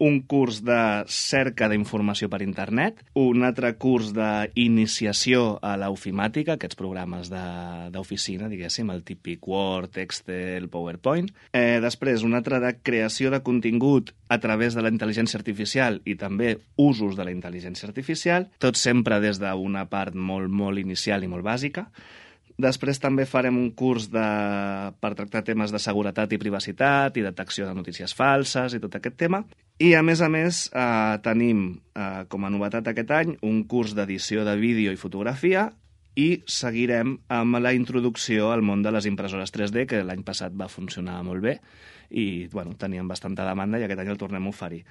un curs de cerca d'informació per internet, un altre curs d'iniciació a l'ofimàtica, aquests programes d'oficina, diguéssim, el típic Word, Excel, PowerPoint. Després, un altre de creació de contingut a través de la intel·ligència artificial i també usos de la intel·ligència artificial, tot sempre des d'una part molt, molt inicial i molt bàsica. Després també farem un curs per tractar temes de seguretat i privacitat i detecció de notícies falses i tot aquest tema. I, a més, tenim com a novetat aquest any un curs d'edició de vídeo i fotografia i seguirem amb la introducció al món de les impressores 3D, que l'any passat va funcionar molt bé i teníem bastanta demanda i aquest any el tornem a oferir.